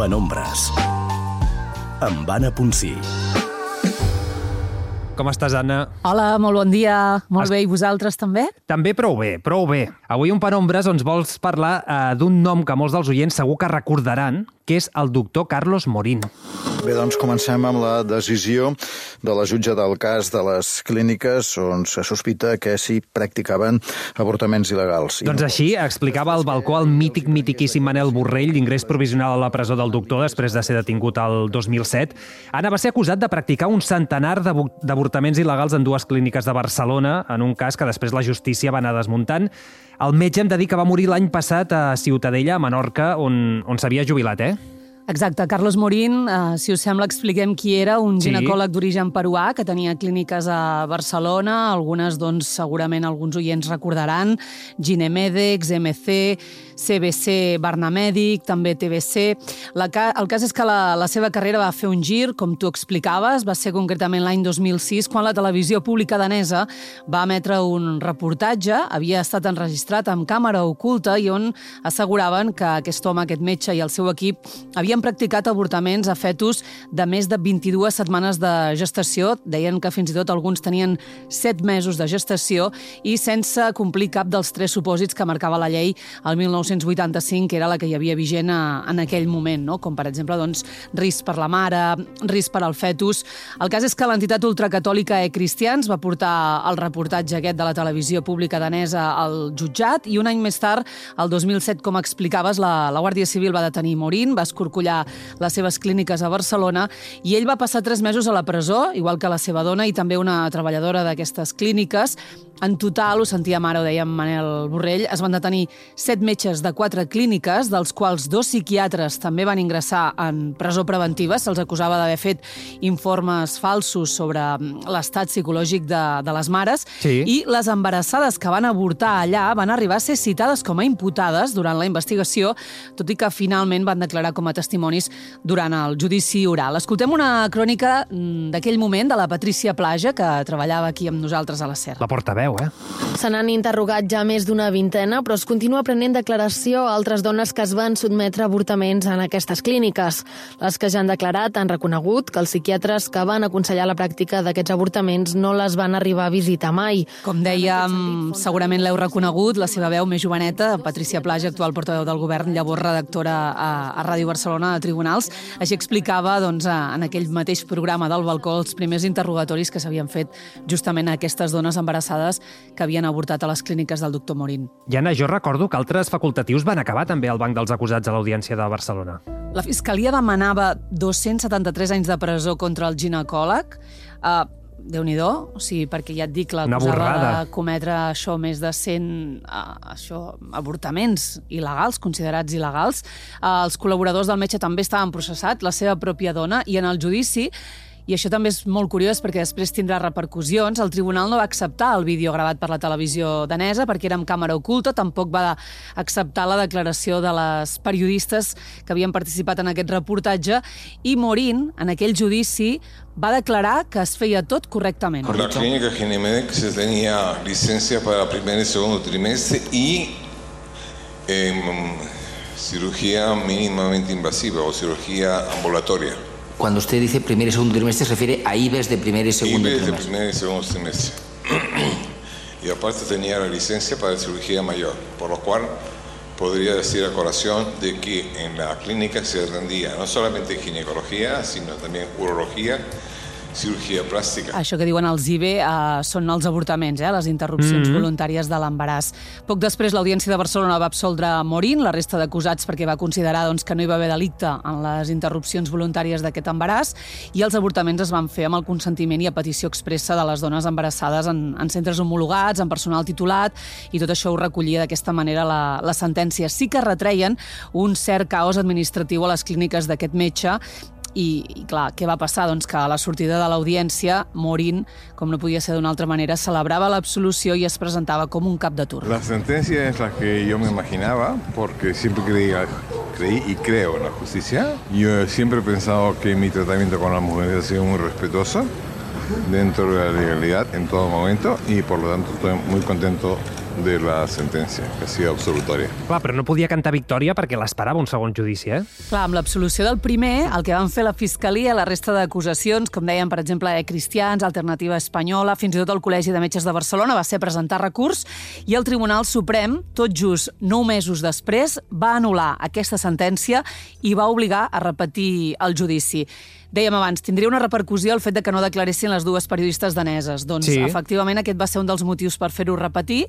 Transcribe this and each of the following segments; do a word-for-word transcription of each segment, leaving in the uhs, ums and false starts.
Penombres, amb Anna Ponsí. Com estàs, Anna? Hola, molt bon dia. Molt bé, i vosaltres també? També prou bé, prou bé. Avui un Penombres ens vols parlar eh, d'un nom que molts dels oients segur que recordaran, que és el doctor Carlos Morín. Bé, doncs comencem amb la decisió de la jutge del cas de les clíniques on se sospita que s'hi practicaven avortaments il·legals. Doncs així explicava al balcó el mític, mitiquíssim Manel Borrell, d'ingrés provisional a la presó del doctor després de ser detingut el dos mil set. Anna va ser acusat de practicar un centenar d'avortaments il·legals en dues clíniques de Barcelona, en un cas que després la justícia va anar desmuntant. El metge em de dir que va morir l'any passat a Ciutadella, a Menorca, on, on s'havia jubilat, eh? Exacte, Carlos Morín, eh, si us sembla, expliquem qui era, un Sí. ginecòleg d'origen peruà que tenia clíniques a Barcelona, algunes, doncs, segurament alguns oients recordaran, Ginemedex, M C, C B C Barnamèdic, també T B C. La, el cas és que la, la seva carrera va fer un gir, com tu explicaves, va ser concretament l'any dos mil sis, quan la televisió pública danesa va emetre un reportatge, havia estat enregistrat amb càmera oculta i on asseguraven que aquest home, aquest metge i el seu equip havien practicat avortaments a fetus de més de vint-i-dues setmanes de gestació. Deien que fins i tot alguns tenien set mesos de gestació i sense complir cap dels tres supòsits que marcava la llei el mil nou-cents vuitanta-cinc, que era la que hi havia vigent a, en aquell moment, no? Com per exemple, doncs, risc per la mare, risc per al fetus. El cas és que l'entitat ultracatòlica E-Cristians va portar el reportatge aquest de la televisió pública danesa al jutjat i un any més tard, el dos mil set, com explicaves, la, la Guàrdia Civil va detenir Morín, va escorcollar les seves clíniques a Barcelona i ell va passar tres mesos a la presó, igual que la seva dona i també una treballadora d'aquestes clíniques. En total, ho sentíem ara, ho deia Manel Borrell, es van detenir set metges de quatre clíniques, dels quals dos psiquiatres també van ingressar en presó preventiva. Se'ls acusava d'haver fet informes falsos sobre l'estat psicològic de, de les mares. Sí. I les embarassades que van avortar allà van arribar a ser citades com a imputades durant la investigació, tot i que finalment van declarar com a testimonis durant el judici oral. Escoltem una crònica d'aquell moment de la Patrícia Plaja, que treballava aquí amb nosaltres a la SER. La portaveu, eh? Se n'han interrogat ja més d'una vintena, però es continua prenent declaració a altres dones que es van sotmetre a avortaments en aquestes clíniques. Les que ja han declarat han reconegut que els psiquiatres que van aconsellar la pràctica d'aquests avortaments no les van arribar a visitar mai. Com dèiem, segurament l'heu reconegut, la seva veu més joveneta, Patrícia Plaja, actual portaveu del govern, llavors redactora a, a Ràdio Barcelona de Tribunals. Així explicava, doncs, en aquell mateix programa del balcó els primers interrogatoris que s'havien fet justament a aquestes dones embarassades que havien avortat a les clíniques del doctor Morín. I Anna, jo recordo que altres facultatius van acabar també al banc dels acusats a l'Audiència de Barcelona. La Fiscalia demanava dos-cents setanta-tres anys de presó contra el ginecòleg. Uh, Déu-n'hi-do, o sigui, perquè ja et dic, l'acusava de cometre això, més de cent uh, això, avortaments il·legals, considerats il·legals. Uh, els col·laboradors del metge també estaven processats, la seva pròpia dona, i en el judici, i això també és molt curiós perquè després tindrà repercussions, el tribunal no va acceptar el vídeo gravat per la televisió danesa perquè era amb càmera oculta, tampoc va acceptar la declaració de les periodistes que havien participat en aquest reportatge i Morín, en aquell judici, va declarar que es feia tot correctament. La clínica Ginemedex tenía licencia para primer y segundo trimestre y eh, cirugía mínimamente invasiva o cirugía ambulatoria. Cuando usted dice primer y segundo trimestre, se refiere a I B E S de primer y segundo I B E S trimestre. de primer y segundo trimestre. Y aparte tenía la licencia para cirugía mayor, por lo cual podría decir a colación de que en la clínica se atendía no solamente ginecología, sino también urología, cirurgia plàstica. Això que diuen els I B E uh, són els avortaments, eh, les interrupcions mm-hmm. voluntàries de l'embaràs. Poc després, l'Audiència de Barcelona va absoldre Morín, la resta d'acusats, perquè va considerar doncs, que no hi va haver delicte en les interrupcions voluntàries d'aquest embaràs, i els avortaments es van fer amb el consentiment i a petició expressa de les dones embarassades en, en centres homologats, en personal titulat, i tot això ho recollia d'aquesta manera la, la sentència. Sí que retreien un cert caos administratiu a les clíniques d'aquest metge. I, i clar, què va passar? Doncs que a la sortida de l'audiència, Morín, com no podia ser d'una altra manera, celebrava l'absolució i es presentava com un cap de turno. La sentencia es la que yo me imaginaba, porque siempre creí, creí y creo en la justicia. Yo siempre he pensado que mi tratamiento con las mujeres ha sido muy respetuoso, dentro de la legalidad en todo momento, y por lo tanto estoy muy contento de la sentencia, que ha sido absolutoria. Clar, però no podia cantar victòria perquè l'esperava un segon judici, eh? Clar, amb l'absolució del primer, el que van fer la Fiscalia, la resta d'acusacions, com deien, per exemple, eh, Cristians, Alternativa Espanyola, fins i tot el Col·legi de Metges de Barcelona, va ser presentar recurs i el Tribunal Suprem, tot just nou mesos després, va anul·lar aquesta sentència i va obligar a repetir el judici. Dèiem abans, tindria una repercussió el fet de que no declaressin les dues periodistes daneses. Doncs, sí. Efectivament, aquest va ser un dels motius per fer-ho repetir.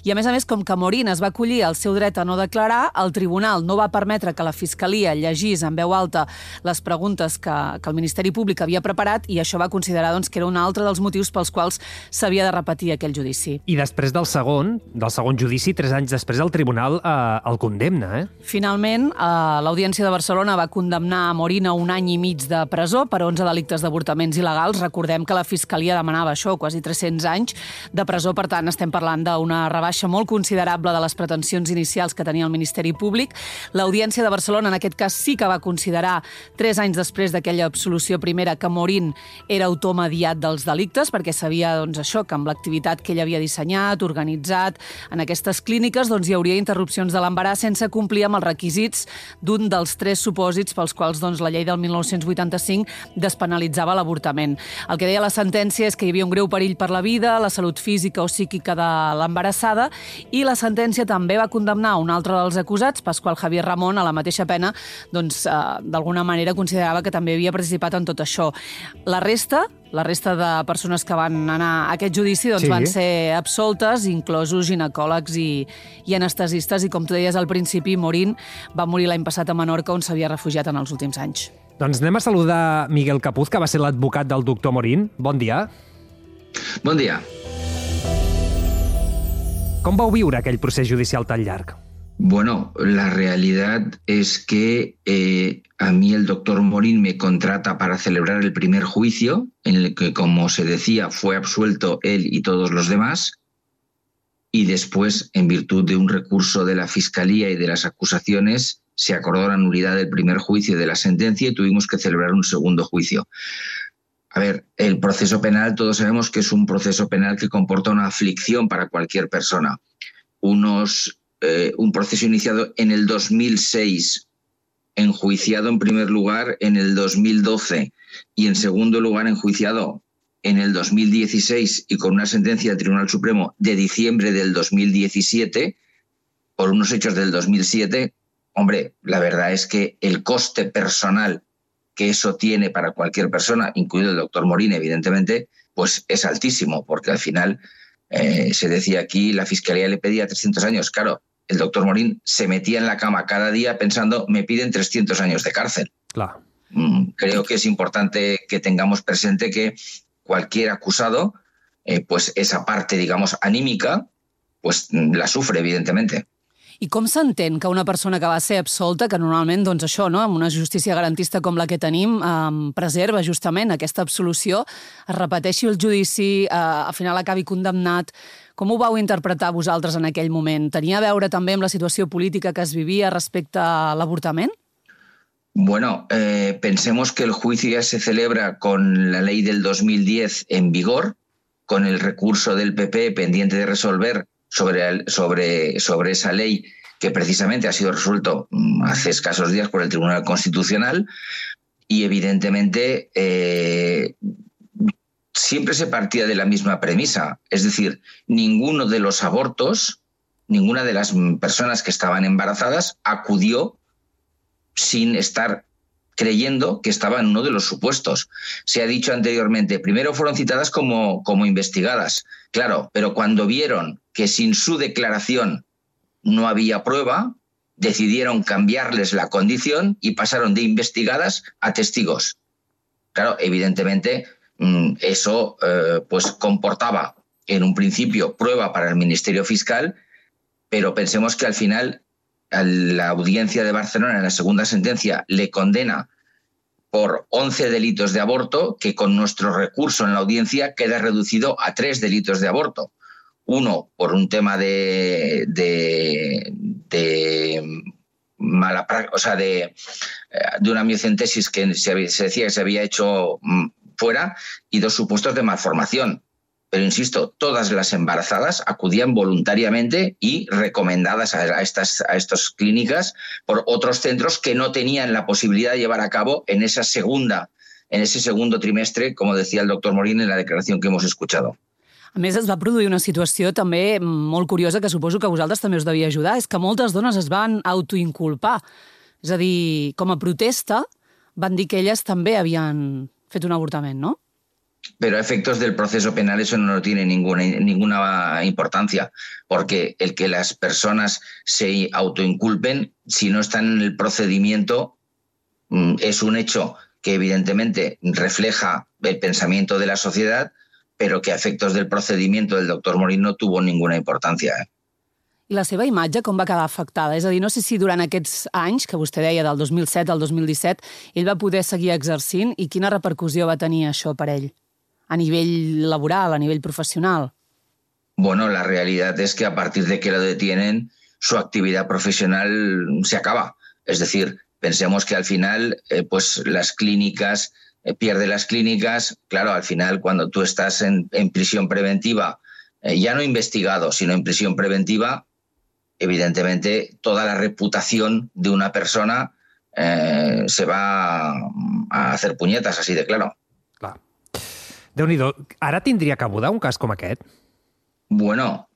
I, a més a més, com que Morín es va acollir al seu dret a no declarar, el tribunal no va permetre que la Fiscalia llegís en veu alta les preguntes que, que el Ministeri Públic havia preparat i això va considerar doncs, que era un altre dels motius pels quals s'havia de repetir aquell judici. I després del segon, del segon judici, tres anys després, el tribunal eh, el condemna, eh? Finalment, eh, l'Audiència de Barcelona va condemnar a Morín a un any i mig de presó per onze delictes d'avortaments il·legals. Recordem que la Fiscalia demanava això, quasi tres-cents anys de presó. Per tant, estem parlant d'una rebaixa molt considerable de les pretensions inicials que tenia el Ministeri Públic. L'Audiència de Barcelona, en aquest cas, sí que va considerar, tres anys després d'aquella absolució primera, que Morín era autor mediat dels delictes, perquè sabia doncs, això, que amb l'activitat que ell havia dissenyat, organitzat en aquestes clíniques, doncs, hi hauria interrupcions de l'embaràs sense complir amb els requisits d'un dels tres supòsits pels quals doncs, la llei del mil nou-cents vuitanta-cinc despenalitzava l'avortament. El que deia la sentència és que hi havia un greu perill per la vida, la salut física o psíquica de l'embarassada, i la sentència també va condemnar un altre dels acusats, Pascual Javier Ramón, a la mateixa pena, doncs, eh, d'alguna manera considerava que també havia participat en tot això. La resta, la resta de persones que van anar a aquest judici doncs, sí. van ser absoltes, inclosos ginecòlegs i, i anestesistes, i com tu deies al principi, Morín va morir l'any passat a Menorca, on s'havia refugiat en els últims anys. Doncs anem a saludar Miguel Capuz, que va ser l'advocat del doctor Morín. Bon dia. Bon dia. Com vau viure aquell procés judicial tan llarg? Bueno, la realidad es que eh, a mí el doctor Morín me contrata para celebrar el primer juicio, en el que, como se decía, fue absuelto él y todos los demás, y después, en virtud de un recurso de la Fiscalía y de las acusaciones, se acordó la nulidad del primer juicio de la sentencia y tuvimos que celebrar un segundo juicio. A ver, el proceso penal, todos sabemos que es un proceso penal que comporta una aflicción para cualquier persona. Unos, eh, un proceso iniciado en el dos mil seis, enjuiciado en primer lugar en el dos mil doce y en segundo lugar enjuiciado en el dos mil dieciséis y con una sentencia del Tribunal Supremo de diciembre del dos mil diecisiete por unos hechos del dos mil siete, hombre, la verdad es que el coste personal que eso tiene para cualquier persona, incluido el doctor Morín, evidentemente, pues es altísimo, porque al final eh, se decía aquí, la Fiscalía le pedía trescientos años. Claro, el doctor Morín se metía en la cama cada día pensando, me piden trescientos años de cárcel. Claro. Mm, creo que es importante que tengamos presente que cualquier acusado, eh, pues esa parte, digamos, anímica, pues la sufre, evidentemente. I com s'entén que una persona que va ser absolta, que normalment, doncs això, no, amb una justícia garantista com la que tenim, eh, preserva justament aquesta absolució, es repeteixi el judici, eh, al final acabi condemnat. Com ho vau interpretar vosaltres en aquell moment? Tenia a veure també amb la situació política que es vivia respecte a l'avortament? Bueno, eh, pensemos que el juicio ya se celebra con la ley del dos mil diez en vigor, con el recurso del P P pendiente de resolver sobre, sobre, sobre esa ley que precisamente ha sido resuelto hace escasos días por el Tribunal Constitucional, y evidentemente eh, siempre se partía de la misma premisa, es decir, ninguno de los abortos, ninguna de las personas que estaban embarazadas acudió sin estar creyendo que estaba en uno de los supuestos. Se ha dicho anteriormente, primero fueron citadas como, como investigadas, claro, pero cuando vieron que sin su declaración no había prueba, decidieron cambiarles la condición y pasaron de investigadas a testigos. Claro, evidentemente eso eh, pues comportaba en un principio prueba para el Ministerio Fiscal, pero pensemos que al final la Audiencia de Barcelona en la segunda sentencia le condena por once delitos de aborto, que con nuestro recurso en la audiencia queda reducido a tres delitos de aborto. Uno por un tema de, de, de mala práctica, o sea, de, de una miocentesis que se, se decía que se había hecho fuera, y dos supuestos de malformación. pero insisto, todas las embarazadas acudían voluntariamente y recomendadas a, estas, a estas clínicas por otros centros que no tenían la posibilidad de llevar a cabo en esa segunda, en ese segundo trimestre, como decía el doctor Morín en la declaración que hemos escuchado. A més, es va produir una situació també molt curiosa que suposo que a vosaltres també us devia ajudar, és que moltes dones es van autoinculpar. És a dir, com a protesta, van dir que elles també havien fet un avortament, ¿no? Pero a efectos del proceso penal eso no tiene ninguna, ninguna importancia, porque el que las personas se autoinculpen, si no están en el procedimiento, es un hecho que evidentemente refleja el pensamiento de la sociedad, pero que a efectos del procedimiento del doctor Morín no tuvo ninguna importancia. ¿eh? I la seva imatge com va quedar afectada? És a dir, no sé si durant aquests anys, que vostè deia del dos mil set al dos mil disset, ell va poder seguir exercint i quina repercussió va tenir això per ell? A nivel laboral, a nivel profesional. Bueno, la realidad es que a partir de que lo detienen, su actividad profesional se acaba. Es decir, pensemos que al final, eh, pues las clínicas, eh, pierde las clínicas. Claro, al final, cuando tú estás en, en prisión preventiva, eh, ya no investigado, sino en prisión preventiva, evidentemente toda la reputación de una persona eh, se va a hacer puñetas, así de claro. Clar. Déu-n'hi-do, ara tindria cabuda un cas com aquest? Bueno,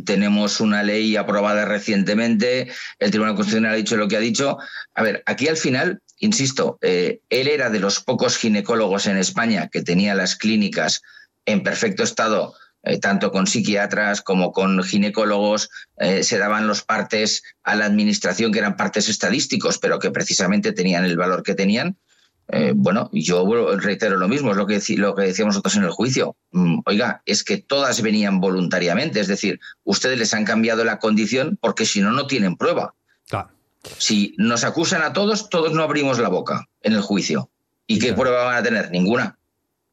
tenemos una ley aprobada recientemente, el Tribunal Constitucional ha dicho lo que ha dicho. A ver, aquí al final, insisto, eh, él era de los pocos ginecólogos en España que tenía las clínicas en perfecto estado, eh, tanto con psiquiatras como con ginecólogos, eh, se daban los partes a la administración, que eran partes estadísticos, pero que precisamente tenían el valor que tenían. Eh, bueno, yo reitero lo mismo, es lo que, lo que decíamos nosotros en el juicio. Mm, oiga, es que todas venían voluntariamente, es decir, ustedes les han cambiado la condición porque si no, no tienen prueba. Claro. Si nos acusan a todos, todos no abrimos la boca en el juicio. ¿Y, ¿Y qué tant. prueba van a tener? Ninguna.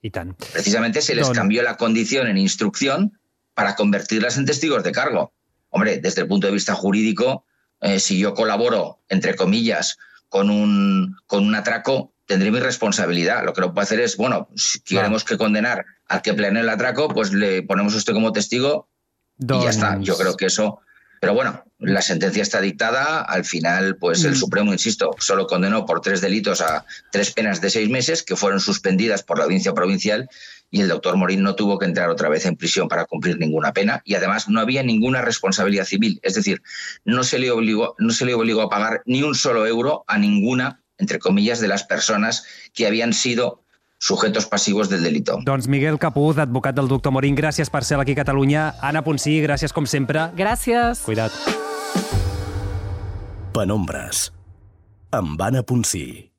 Y tant. Precisamente se les Don... cambió la condición en instrucción para convertirlas en testigos de cargo. Hombre, desde el punto de vista jurídico, eh, si yo colaboro, entre comillas, con un, con un atraco, tendré mi responsabilidad. Lo que no puedo hacer es, bueno, si queremos que condenar al que planeó el atraco, pues le ponemos a usted como testigo Don... y ya está. Yo creo que eso... Pero bueno, la sentencia está dictada. Al final, pues mm. el Supremo, insisto, solo condenó por tres delitos a tres penas de seis meses que fueron suspendidas por la audiencia provincial y el doctor Morín no tuvo que entrar otra vez en prisión para cumplir ninguna pena y además no había ninguna responsabilidad civil. Es decir, no se le obligó, no se le obligó a pagar ni un solo euro a ninguna, entre comillas, de las personas que habían sido sujetos passivos del delito. Doncs Miguel Capuz, advocat del doctor Morín, gràcies per ser aquí a Catalunya. Anna Ponsí, gràcies com sempre. Gràcies. Cuida't. Penombres, amb Anna Ponsí.